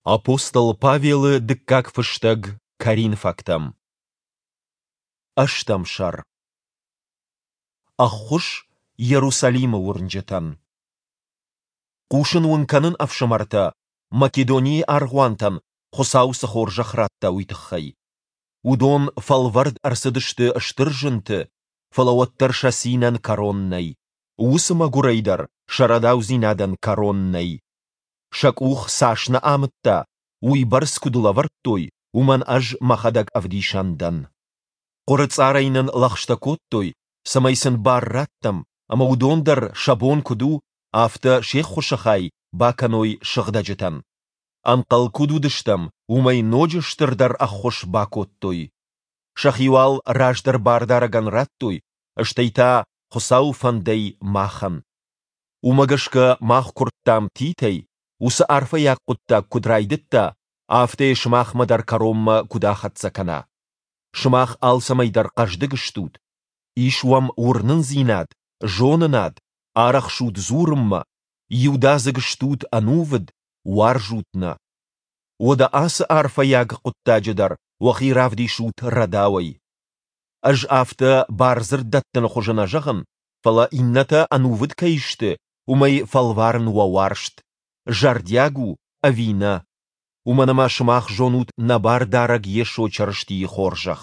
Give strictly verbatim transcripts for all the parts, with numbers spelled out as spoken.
Апостол Павелы дыккаг фыстӕг Коринфӕгтӕм. Ӕстӕм сӕр. Ӕххуыс Иерусалимы уырнджытӕн. Хъусын уын кӕнын, ӕфсымӕртӕ, Македонийы аргъуантӕн Хуыцау цы хорзӕх радта, уый тыххӕй. Уыдон фӕлвӕрд ӕрцыдысты стыр зынты, фӕлӕ уӕддӕр сӕ цинӕн кӕрон нӕй. Уыцы мӕгуырӕй дӕр сӕ рӕдаудзинадӕн кӕрон нӕй. Сӕ къух цас нӕ амыдта, уыйбӕрц куыд лӕвӕрдтой, уымӕн ӕз мӕхӕдӕг ӕвдисӕн дӕн. Хъуырыцъарӕй нын лӕгъстӕ кодтой, цӕмӕй сын бар раттӕм, ӕмӕ уыдон дӕр, сӕ бон куыд у, афтӕ се ххуысы хай бакӕной сыгъдӕджытӕн. Ӕнхъӕл куыд уыдыстӕм, уымӕй ноджы стырдӕр ӕххуыс бакодтой. Сӕхи уал раздӕр Бардарӕгӕн радтой, стӕй та Хуыцауы фӕндӕй махӕн. Уымӕ гӕсгӕ мах куырдтам Титӕй, уыцы арфӕйаг хъуыддаг куыд райдыдта, афтӕ йӕ сымахмӕ дӕр кӕронмӕ куыд ахӕццӕ кӕна. Сымах алцӕмӕй дӕр хъӕздыг стут, ис уӕм уырнындзинад, зонынад, арӕхсут дзурынмӕ, иудадзыг стут ӕнувыд, уарзут нӕ. Уӕдӕ ацы арфӕйаг хъуыддаджы дӕр уӕхи равдисут рӕдауӕй. Ӕз афтӕ бардзырд дӕттыны хуызы нӕ зӕгъын, фӕлӕ иннӕтӕ ӕнувыд кӕй сты, уымӕй фӕлварын уӕ уарзт, зӕрдиаг у ӕви нӕ. Уымӕн ӕмӕ сымах зонут нӕ Бардарӕг Йесо Чырыстийы хорзӕх.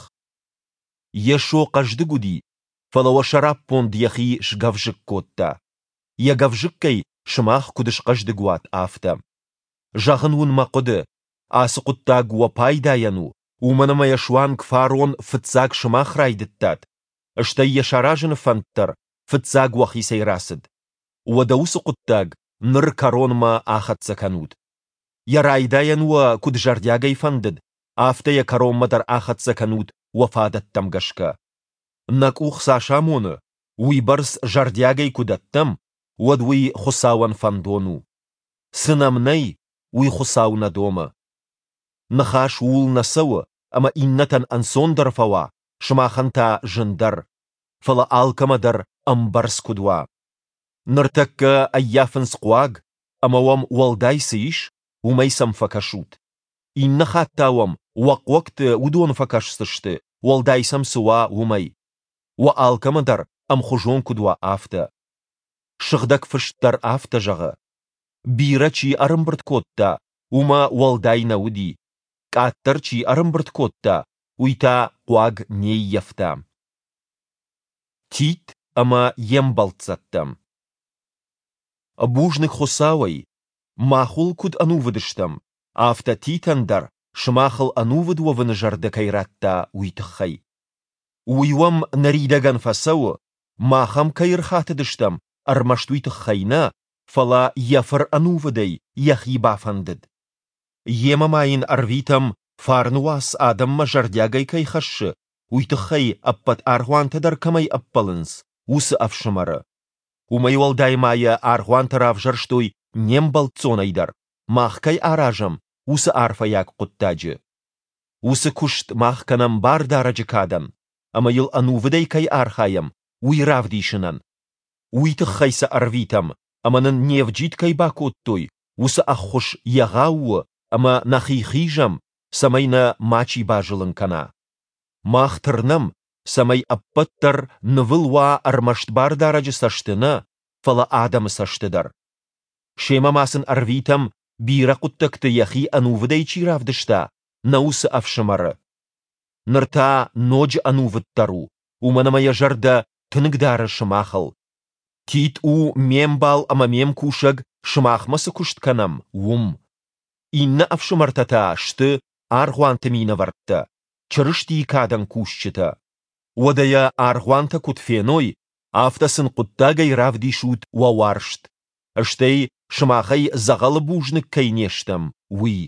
Йесо хъӕздыг уыди, фӕлӕ уӕ сӕраппонд йӕхи сгӕвзыкк кодта. Йӕ гӕвзыккӕй сымах куыд схъӕздыг уат, афтӕ. Зӕгъын уын мӕ хъуыды, ацы хъуыддаг уӕ пайдайӕн у, уымӕн ӕмӕ йӕ суанг фарон фыццаг сымах райдыдтат, стӕй йӕ саразыны фӕнд дӕр фыццаг уӕхицӕй рацыд. Уӕдӕ уыцы хъуыддаг ныр кӕронмӕ ахӕццӕ кӕнут. Йӕ райдайӕн уӕ куыд зӕрдиагӕй фӕндыд, афтӕ йӕ кӕронмӕ дӕр ахӕццӕ кӕнут уӕ фадӕттӕм гӕсгӕ. Нӕ къух цас амоны, уыйбӕрц зӕрдиагӕй куы дӕттӕм, уӕд уый Хуыцауӕн фӕндон у. Цы нӕм нӕй, уый Хуыцау нӕ домы. Ныхас ууыл нӕ цӕуы, ӕмӕ иннӕтӕн ӕнцондӕр фӕуа, сымахӕн та зындӕр, фӕлӕ алкӕмӕ дӕр ӕмбӕрц куыд уа. Ныртӕккӕ ӕййафынц хъуаг, ӕмӕ уӕм уӕлдай цы ис, уымӕй сӕм фӕкӕсут. Иннӕ хатт та уӕм уӕ хъуӕгты уыдон фӕкӕсдзысты, уӕлдай сӕм цы уа, уымӕй. Уӕ алкӕмӕ дӕр ӕмхуызон куыд уа, афтӕ. Сыгъдӕг Фыст дӕр афтӕ зӕгъы: Бирӕ чи ӕрӕмбырд кодта, уымӕ уӕлдай нӕ уыди, къаддӕр чи ӕрӕмбырд кодта, уый та хъуаг не ййӕфта. Тит ӕмӕ йе мбӕлццӕттӕ. Бузныг Хуыцауӕй, мах уыл куыд ӕнувыд стӕм, афтӕ Титӕн дӕр сымахыл ӕнувыд уӕвыны зӕрдӕ кӕй радта, уый тыххӕй. Уый уӕм ныридӕгӕн фӕцӕуы, мах ӕм кӕй ӕрхатыдыстӕм, ӕрмӕст уый тыххӕй нӕ, фӕлӕ йӕ фыр ӕнувыдӕй йӕхи бафӕндыд. Йемӕ ма йын ӕрвитӕм, фарны уац адӕммӕ зӕрдиагӕй кӕй хӕссы, уый тыххӕй ӕппӕт аргъуантӕ дӕр кӕмӕй ӕппӕлынц, уыцы ӕфсымӕры. Уымӕй уӕлдай ма йӕ аргъуантӕ равзӕрстой не мбӕлццонӕй дӕр, мах кӕй аразӕм, уыцы арфӕйаг хъуыддаджы. Уыцы куыст мах кӕнӕм Бардарӕджы кадӕн, ӕмӕ йыл ӕнувыдӕй кӕй архайӕм, уый равдисынӕн. Уый тыххӕй сӕ ӕрвитӕм, ӕмӕ нын не вджид кӕй бакодтой, уыцы ӕххуыс егъау у ӕмӕ нӕхи хизӕм, цӕмӕй нӕ мачи базылын кӕна. Мах тырнӕм, цӕмӕй ӕппӕт дӕр нывыл уа ӕрмӕст Бардарӕджы цӕсты нӕ, фӕлӕ адӕмы цӕсты дӕр. Семӕ ма сын ӕрвитӕм, бирӕ хъуыддӕгты йӕхи ӕнувыдӕй чи равдыста, нӕ уыцы ӕфсымӕры. Ныр та ноджы ӕнувыддӕр у, уымӕн ӕмӕ йӕ зӕрдӕ тынг дары сымахыл. Тит у ме мбал ӕмӕ ме мкусӕг, сымахмӕ цы куыст кӕнӕм, уым. Иннӕ ӕфсымӕртӕ та сты аргъуанты минӕвӕрттӕ, Чырыстийы кадӕн кусджытӕ. Уӕдӕ йӕ аргъуантӕ куыд феной, афтӕ сын хъуыддагӕй равдисут уӕ уарзт, стӕй сымахӕй дзӕгъӕлы бузныг кӕй не стӕм, уый.